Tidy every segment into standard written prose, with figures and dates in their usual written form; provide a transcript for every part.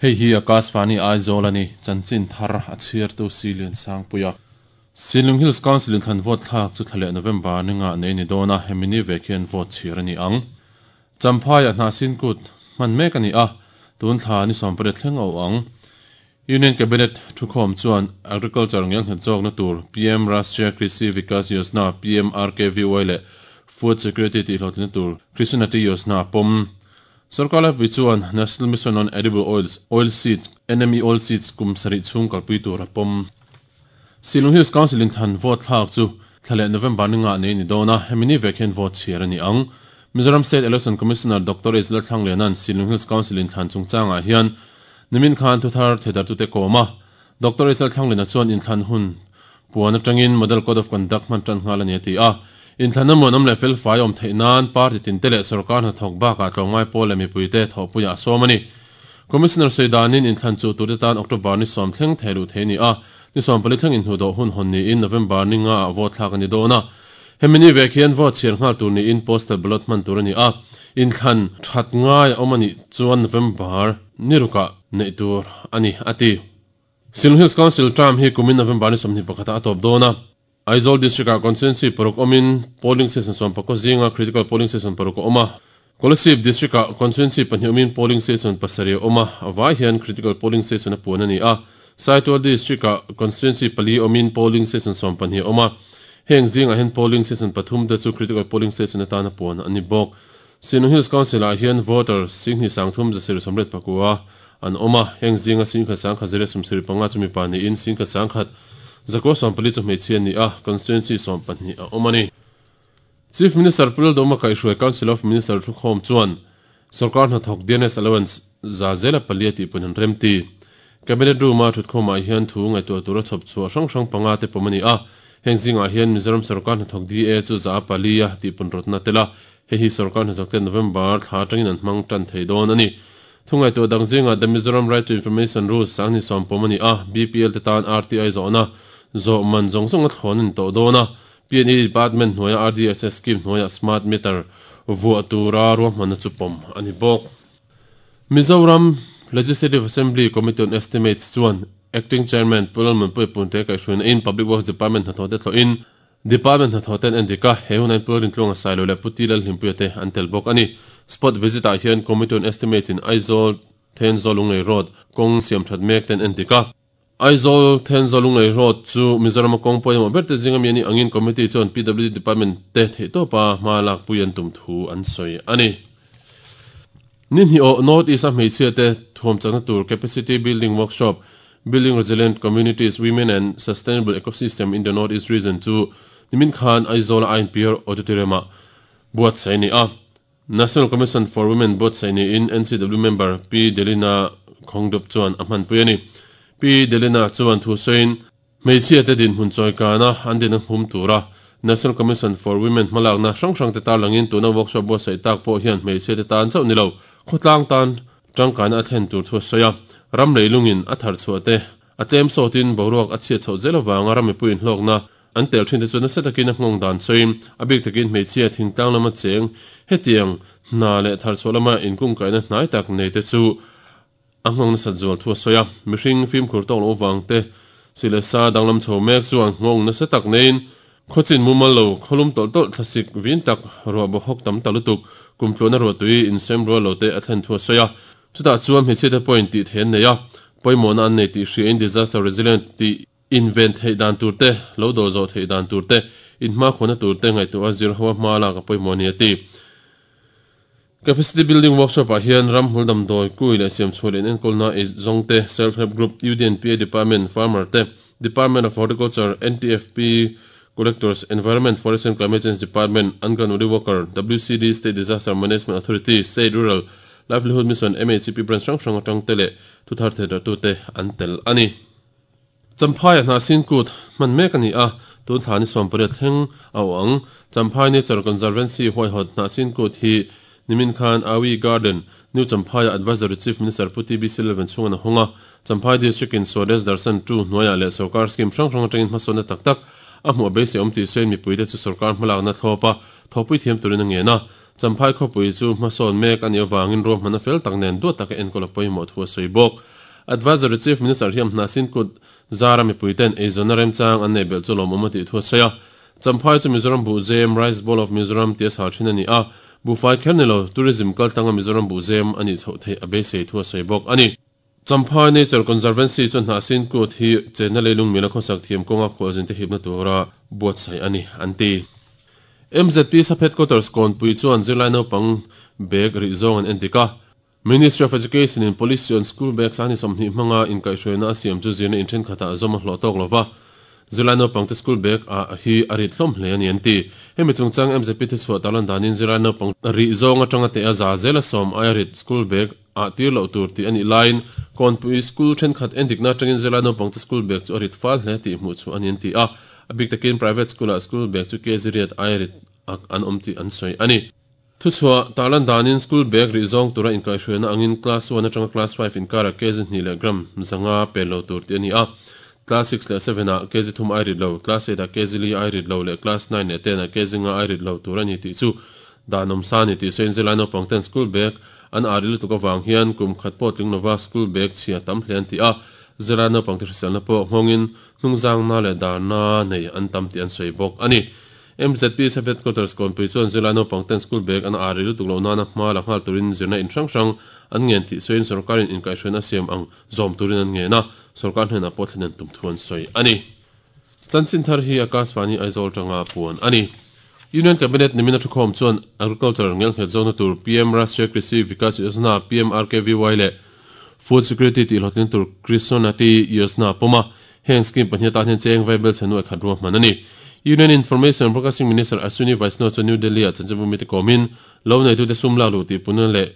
Hei hi Akashvani Aizawl a ni, chanchin thar a chhiartu Silian Sangpuia. Silung Hills Council in thlan vote thlak chu thla leh November ni nga nei ni dawn a, hemi ni vek hian vote chhir a ni ang. Champhaiah hnahsin kut hman mek a ni a, tun thla ni 18 thleng a awh ang. Union Cabinet thukhawm chuan Agriculture ngelnghet zawkna tur PM Rashtriya Krishi Vikas Yojana, PMRKVY, leh Food Security tihhlawhtlinna tur Krishnati Yojana a pawm. Sorkar laipui chuan National Mission on Edible Oils, Oil Seeds, NME Oil Seeds, kum sarih chhung kalpui tur a pawm. Shillong Hills Council in thlan vote thlak chu thla leh November ni ngah nei ni dawn a, hemi ni vek hian vote chhiar a ni ang. Mizoram State Election Commissioner Doctor H Lalthlangliana'n Shillong Hills Council in thlan chungchangah hian nimin khan thuthar theidartute kawm a. Doctor H Lalthlangliana chuan inthlan hun puan atangin Model Code of Conduct hman tan nghal a ni a ti a. Inthlanna muanawm leh felfai awm theih nan party tinte leh sorkar hnathawk bakah tlawmngai pawl leh mipuite thawhpuiah a sawm a ni. Commissioner sawi danin inthlan chu turte tan October ni sawm thleng thei luh thei a ni a, ni 14 thleng inhnuhdawh hun hawn niin November ni nga ah vote thlak a ni dawn a. Hemi ni vek hian vote chhiar nghal tur niin postal ballot hman tur a ni a, inthlan that ngai a awm a nih chuan November ni rukah neih tur a ni, a ti. Shillong Hills Council term hi kumin November ni 21 ah a tawp dawn a. Aizawl District-ah constituency paruk awmin polling station 11 zinga critical polling station paruk a awm a. Kolasib District-ah constituency pahnih awmin polling station pasarih a awm a, a vai hian critical polling station a puan a ni a. Saitual District-ah constituency pali awmin polling station 12 a awm a, heng zingah hian polling station pathum te chu critical polling station atana puan a ni bawk. Shillong Hills Council-ah hian voter 23,389 an awm a, heng zinga 11,175 chu mipa niin 11,140 chu hmeichhia an ni a, constituency 12 a awm a ni. Chief Minister Pu Lalduhma kaihhruai Council of Minister thukhawm chuan sorkar hnathawk DNS allowance za zela palia tih pawhin an remti. Cabinet room-a thutkhawmah hian thu ngaihtuah tura chhawp chhuah hrang hrang panga te pawm a ni a, heng zingah hian Mizoram sorkar hnathawk DA chu za a palia tih pawn rawtna tel a, Hei hi sorkar hnathawkte November thla atangin an hmang tan thei dawn a ni. Thungaihtuah dang zingah The Mizoram Right to Information Rules sang ni sawm pawm a ni a, BPL te tan RTI zawhna zawh man zawng zawng a thlawn a ni tawh dawn a. PNE Department hnuaia RDSS scheme hnuaiah Smart Meter vuah tura ruahmanna chu pawm a ni bawk. Mizoram Legislative Assembly Committee on Estimates chuan Acting Chairman Pu Lalmunpuia Punte kaihhruaina in Public Works Department hnathawhte thlawhin Department hnathawh ten en dik a, he hunah hian Pu Rintluanga Sailo leh Pu Ti Lalhlimpuia te an tel bawk a ni. Spot visit ah hian Committee on Estimates in Aizawl Thenzawl Lunglei Road kawng siam that mek ten en dik a. Aizawl Thenzawl Lunglei Road chu Mizoram a kawng pawimawh ber te zinga mi a nih angin Committee chuan PWD Department te theihtawpa hma lakpui an tum thu an sawi a ni. Ni hnih awh North East a hmeichhia te thuam chakna tur Capacity Building Workshop, Building Resilient Communities, Women and Sustainable Ecosystem in the North East Region chu nimin khan Aizawl a INPR Auditorium ah buatsaih a ni a. National Commission for Women buatsaih niin NCW member Pi Delina Khongdup chuan a hmanpui a ni. Pi Delina chuan thu sawiin, Hmeichhia te dinhmun chawikana an din a hum tura National Commission for Women hmalakna hrang hrang te tarlangin tuna workshop buatsaih tak pawh hian hmeichhia te tan chauh ni lo, khawtlang tan tangkaina a thlen tur thu a sawi a. Ram leilungin a thar chhuah te a tlem sawtin boruak a chhiat chhoh zel avanga ram mipui inhlawkna an tel thin te chu nasa takin a nghawng dan sawiin a bik takin hmeichhia thingtlang lama cheng hetiang hna leh thar chhuah lama inkungkaihna hnai tak nei te chu A nghawng nasat zual thu a sawi a, mihring fimkhur tawk loh avang te, si leh sa danglam chho mek chuan nghawng nasa tak neiin khawchin mumal lo, khawlum tawlh tawlh, thlasik vin tak, ruah bawhawk tam ta lutuk, kumtluahna ruahtui insem rual lo te a thlen thu a sawi a. Chutah chuan hmeichhiate pawhin tih theih an nei a, pawimawhna an nei tih hriain disaster resilient tih inven theih dan tur te, lo dawh zawh theih dan tur te, inhmakhawna tur te ngaihtuah a zir ho a hma lak a pawimawh a ni a ti. Capacity Building Workshop ah hian ramhmul damdawi kui leh siamchhuah leh inenkawlna ei zawng te, Self Help Group, UDNPA Department, Farmer te, Department of Horticulture, NTFP, Collectors, Environment, Forest and Climate Change Department, Anganwadi Worker, WCD, State Disaster Management Authority, State Rural Livelihood Mission, MHEP branch hrang hrang atang te leh thuthar theidarhtute an tel a ni. Champhai a hnahsin kut hman mek a ni a, tun thla ni 18 thleng a awh ang. Champhai Nature Conservancy huaihawt hnahsin kut hi nimin khan Awi Garden, New Champhai-ah Advisory Chief Minister Pu TBC Lalvenchhunga'n a hawng a. Champhai District in Swadesh Darshan 2 hnuaiah leh sorkar scheme hrang hrang atangin hmasawnna tak tak a hmuh a beisei awm tih sawiin mipuite chu sorkar hmalakna thlawp a thawhpui thiam turin a ngen a. Champhai khawpui chu hmasawn mek a nih avangin ruahmanna fel tak nen duat taka enkawl a pawimawh thu a sawi bawk. Advisory Chief Minister hiam Hnahsin Kut zara mipuiten eizawnna remchang an neih belh chu lawmawm a tih thu a sawi a. Champhai chu Mizoram Buhzem, Rice Bowl of Mizoram, tia sal thin a ni a, buhfai kher ni lo, tourism kaltlanga Mizoram buhzem a nih chhoh theih a beisei thu a sawi bawk a ni. Champhai Nature Conservancy chuan Hnahsin Kut hi chenna leilung mila khawsak thiam kawnga khualzin te hipna tura buatsaih a ni, an ti. MZP Sub Headquarters Kawnpui chuan zirlai naupang bag rih zawng an endik a. Ministry of Education in Policy on School Bags a ni 20 hmanga inkaihhruaina a siam chu zirna in thenkhatah zawm a hlawh tawk lo va, zirlai naupangte school bag ah hi a rit hlawm hle a ni an ti. Hemi chungchang MZP thuchhuah tarlan danin zirlai naupang rih zawng atanga teh a za zela sawm aia rit school bag ah tir loh tur tih a nih laiin Kawnpui school thenkhat endikna atangin zirlai naupangte school bag chu a rit fal hle tih hmuh chhuah a ni an ti a, a bik takin private school ah school bag chu kg riat aia rit ak an awm tih an sawi a ni. Thuchhuah, Tarlan danin school bag rih zawng tura inkaihhruaina angin class one atanga class five inkarah kg hnih leh gram zanga pel lo tur tih a ni a. Class six leh seven ah kg thum ai rit lo, class eight ah kg li ai rit lo leh class nine leh ten ah kg nga ai rit lo tur a ni tih chu dan awm sa a ni tih sawiin zirlai naupang ten school bag an ari lutuk avang hian kum khat pawh tling lova school bag chhia tam hle an ti a. Zirlai naupang te hriselna pawh nghawngin hnungzangna leh darna nei an tam tih an sawi bawk a ni. MZP Sub Headquarters Kawnpui chuan zirlai naupang ten school bag an ari lutuk loh nana hma la nghal turin zirna in hrang hrang an ngen tih sawiin sorkarin inkaihhruaina a siam ang zawm turin an ngen a, sorkar hnenah pawh thlen an tum thu an sawi a ni. Chanchin thar hi Akashvani Aizawl tanga puan a ni. Union Cabinet nimina thukhawm chuan Agriculture ngelnghet zawkna tur PM Rashtriya Krishi Vikas Yojana, PMRKVY, leh Food Security tihhlawhtling tur Krishonnati Yojana pawm a, Heng scheme pahnih atan hian cheng vai bel chhe nuai khat ruahman a ni. Union Information and Broadcasting Minister Ashwini Vaishnaw chuan New Delhi-ah chanchinbu mite kawmin, lo neitute sum lak luh tihpunna leh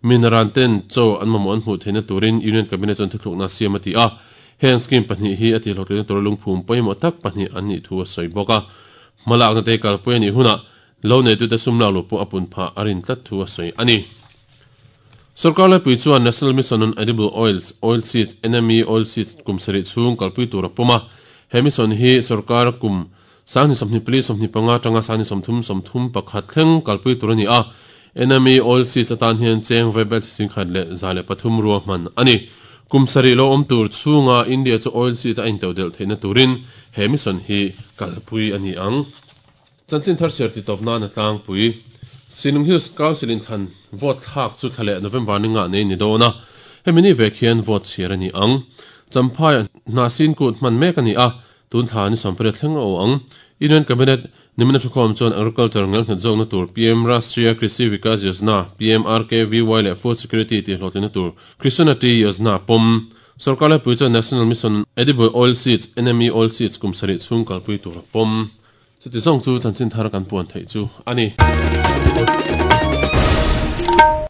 minaran ten chaw an mamawh an hmuh theihna turin Union Cabinet chuan thuthlukna a siam a ti a. Heng scheme pahnih hi a tihhlawhtlinna tura lungphum pawimawh tak pahnih an nih thu a sawi bawk a. Hmalakna te kalpui a nih hunah Lo neitute sum lak luh pawh a pun phah a rin tlat thu a sawi a ni. Sorkar laipui chuan National Mission on Edible Oils, Oil Seeds, NME Oil Seeds, kum sarih chhung kalpui tur a pawm a. He mission hi sorkar kum 2024 25 atanga 2030 31 thleng kalpui tur a ni a. NME Oil Seeds atan hian cheng vaibel chi 1,103 ruahman a ni. Kum sarih lo awm tur chhunga India chu oil seeds a intodelh theihna turin he mission hi kalpui a ni ang. Chanchin thar chhiar titawp nan a tlangpui. Sinung Hills Council in thlan vote thlak chu thla leh November ni ngah nei ni dawn a, hemi ni vek hian vote chhiar a ni ang. Champhai Hnahsin kut hman mek a ni a, tun thla ni 18 thleng a aw ang. Union Cabinet nimina thukhawm chuan Agriculture ngelnghet zawkna tur PM Rashtriya Krishi Vikas Yojana, PMRKVY, leh Food Security tihhlawhtlinna tur Krishonnati Yojana pawm. Sorkar laipui chuan National Mission on Edible Oil Seeds, NME Oil Seeds, kum sarih chhung kalpui tur a pawm. Chuti zawng chu chanchin thar kan puan theih chu a ni.